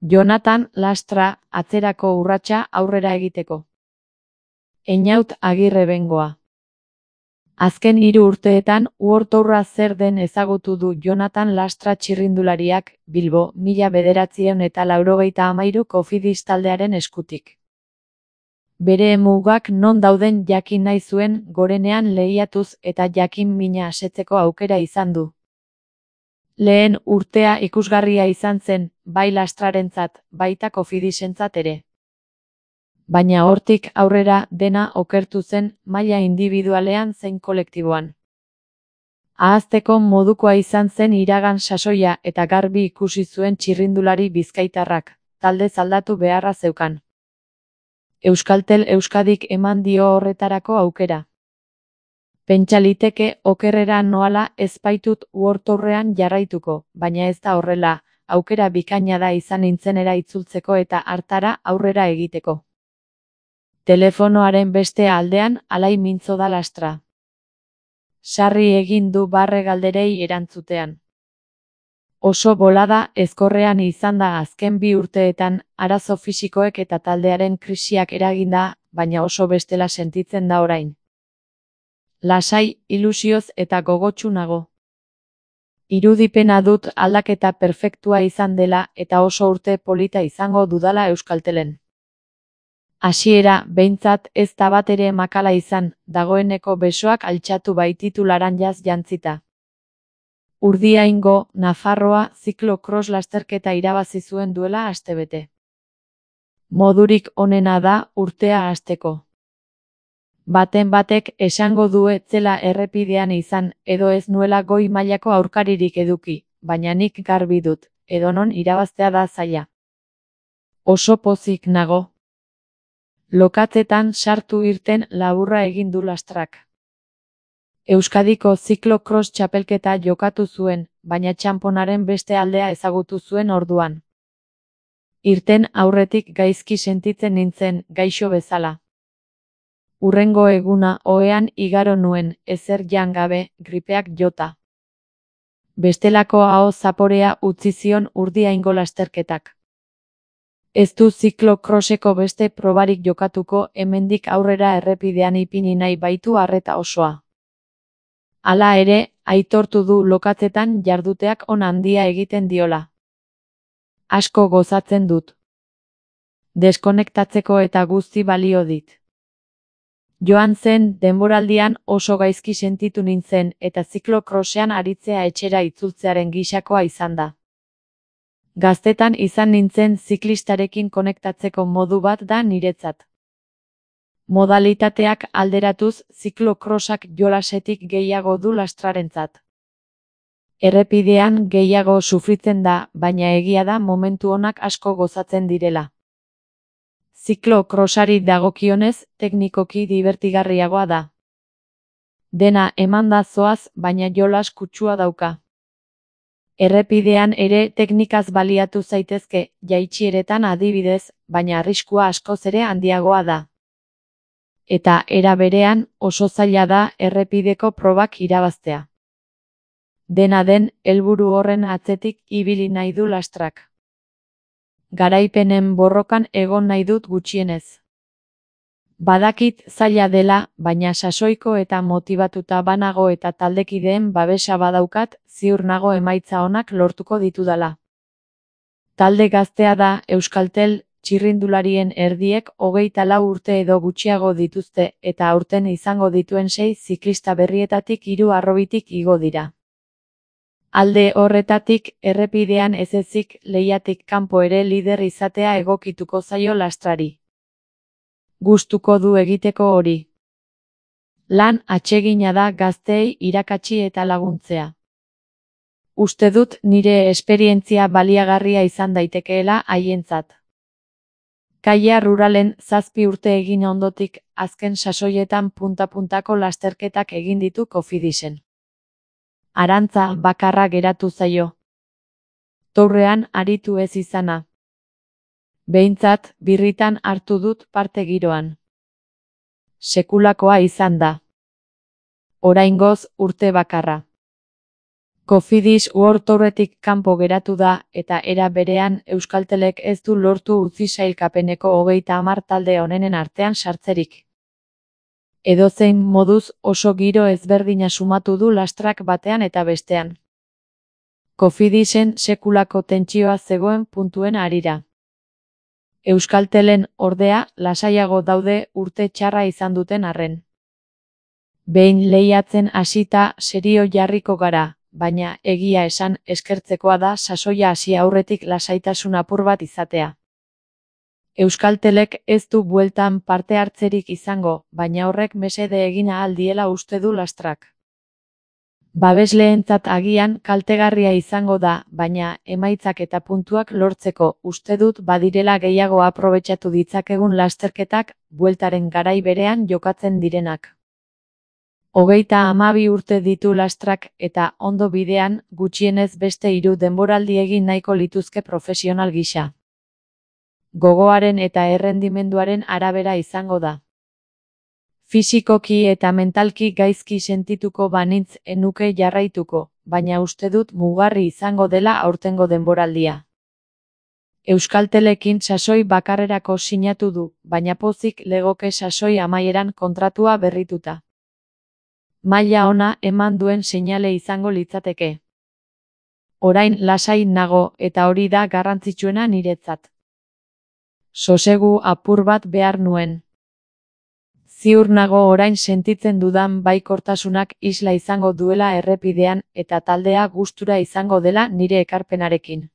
Jonathan Lastra, atzerako urratsa aurrera egiteko. Einaut Agirre Bengoa. Azken 3 urteetan World Tourra zer den ezagutu du Jonathan Lastra txirrindulariak, Bilbo, 1993 Cofidis taldearen eskutik. Bere mugak non dauden jakin nahi zuen gorenean lehiatuz eta jakin mina asetzeko aukera izan du. Lehen urtea ikusgarria izan zen, bai Lastrarentzat, baita Cofidisentzat ere. Baina hortik aurrera dena okertu zen maila indibidualean zein kolektiboan. Ahazteko modukoa izan zen iragan sasoia eta garbi ikusi zuen txirrindulari bizkaitarrak, taldez aldatu beharra zeukan. Euskaltel Euskadik eman dio horretarako aukera. Pentsa liteke okerrera noala ez baitut World Tourrean jarraituko, baina ez da horrela, aukera bikaina da izan nintzenera itzultzeko eta hartara aurrera egiteko. Telefonoaren beste aldean alai mintzo da Lastra. Sarri egin du barre galderei erantzutean. Oso bolada ezkorrean izan da azken 2 urteetan, arazo fisikoek eta taldearen krisiak eraginda, baina oso bestela sentitzen da orain. Lasai, ilusioz eta gogotsu nago. Irudipena dut aldaketa perfektua izan dela eta oso urte polita izango dudala Euskaltelen. Hasiera, behintzat ez da batere makala izan, dagoeneko besoak altxatu baititu laranjaz jantzita. Urdiaingo, Nafarroa ziklo-cross lasterketa irabazi zuen duela astebete. Modurik onena da urtea hasteko. Baten batek esango du ez zela errepidean izan edo ez nuela goi mailako aurkaririk eduki, baina nik garbi dut, edonon irabaztea da zaila. Oso pozik nago. Lokatzetan sartu irten laburra egin du Lastrak. Euskadiko ziklo-cross txapelketa jokatu zuen, baina txanponaren beste aldea ezagutu zuen orduan. Irten aurretik gaizki sentitzen nintzen, gaixo bezala. Hurrengo eguna ohean igaro nuen, ezer jan gabe, gripeak jota. Bestelako aho zaporea utzi zion Urdiaingo lasterketak. Ez du ziklo-crosseko beste probarik jokatuko hemendik aurrera errepidean ipini nahi baitu arreta osoa. Hala ere, aitortu du lokatzetan jarduteak on handia egiten diola. Asko gozatzen dut. Deskonektatzeko eta guzti balio dit. Joan zen denboraldian oso gaizki sentitu nintzen eta ziklo-crossean aritzea etxera itzultzearen gisakoa izan da. Gaztetan izan nintzen ziklistarekin konektatzeko modu bat da niretzat. Modalitateak alderatuz ziklo-crossak jolasetik gehiago du Lastrarentzat. Errepidean gehiago sufritzen da, baina egia da momentu onak asko gozatzen direla. Ziklo-crossari dagokionez, teknikoki dibertigarriagoa da. Dena emanda zoaz, baina jolas kutsua dauka. Errepidean ere teknikaz baliatu zaitezke, jaitsieretan adibidez, baina arriskua askoz ere handiagoa da. Eta era berean oso zaila da errepideko probak irabaztea. Dena den, helburu horren atzetik ibili nahi du Lastrak. Garaipenen borrokan egon nahi dut gutxienez. Badakit zaila dela, baina sasoiko eta motibatuta banago eta taldekideen babesa badaukat, ziur nago emaitza onak lortuko ditudala. Talde gaztea da Euskaltel, txirrindularien erdiek 24 urte edo gutxiago dituzte eta aurten izango dituen 6 ziklista berrietatik 3 harrobitik igo dira. Alde horretatik, errepidean ez ezik lehiatik kanpo ere lider izatea egokituko zaio Lastrari. Gustuko du egiteko hori. Lan atsegina da gazteei irakatsi eta laguntzea. Uste dut nire esperientzia baliagarria izan daitekeela haientzat. Kaia ruralen 7 urte egin ondotik, azken sasoietan punta-puntako lasterketak egin ditu Cofidisen. Arantza bakarra geratu zaio. Tourrean aritu ez izana. Behintzat, birritan hartu dut parte giroan. Sekulakoa izan da. Oraingoz urte bakarra. Cofidis World Touretik kanpo geratu da eta era berean Euskaltelek ez du lortu utzi sailkapeneko 30 talde onenen artean sartzerik. Edozein moduz oso giro ezberdina sumatu du lastrak batean eta bestean. Cofidisen sekulako tentsioa zegoen puntuen harira. Euskaltelen ordea lasaiago daude urte txarra izan duten arren. Behin lehiatzen hasita serio jarriko gara, baina egia esan eskertzekoa da sasoia hasi aurretik lasaitasun apur bat izatea. Euskaltelek ez du bueltan parte hartzerik izango, baina horrek mesede egin ahal diela uste du lastrak. Babesleentzat agian kaltegarria izango da, baina emaitzak eta puntuak lortzeko uste dut badirela gehiago aprobetxatu ditzakegun lasterketak, bueltaren garai berean jokatzen direnak. 32 urte ditu lastrak eta ondo bidean gutxienez beste 3 denboraldi egin nahiko lituzke profesional gisa. Gogoaren eta errendimenduaren arabera izango da. Fisikoki eta mentalki gaizki sentituko banintz enuke jarraituko, baina uste dut mugarri izango dela aurtengo denboraldia. Euskaltelekin sasoi bakarrerako sinatu du, baina pozik legoke sasoi amaieran kontratua berrituta. Maila ona eman duen seinale izango litzateke. Orain lasai nago eta hori da garrantzitsuena niretzat. Sosegu apur bat behar nuen. Ziur nago orain sentitzen dudan baikortasunak isla izango duela errepidean eta taldea gustura izango dela nire ekarpenarekin.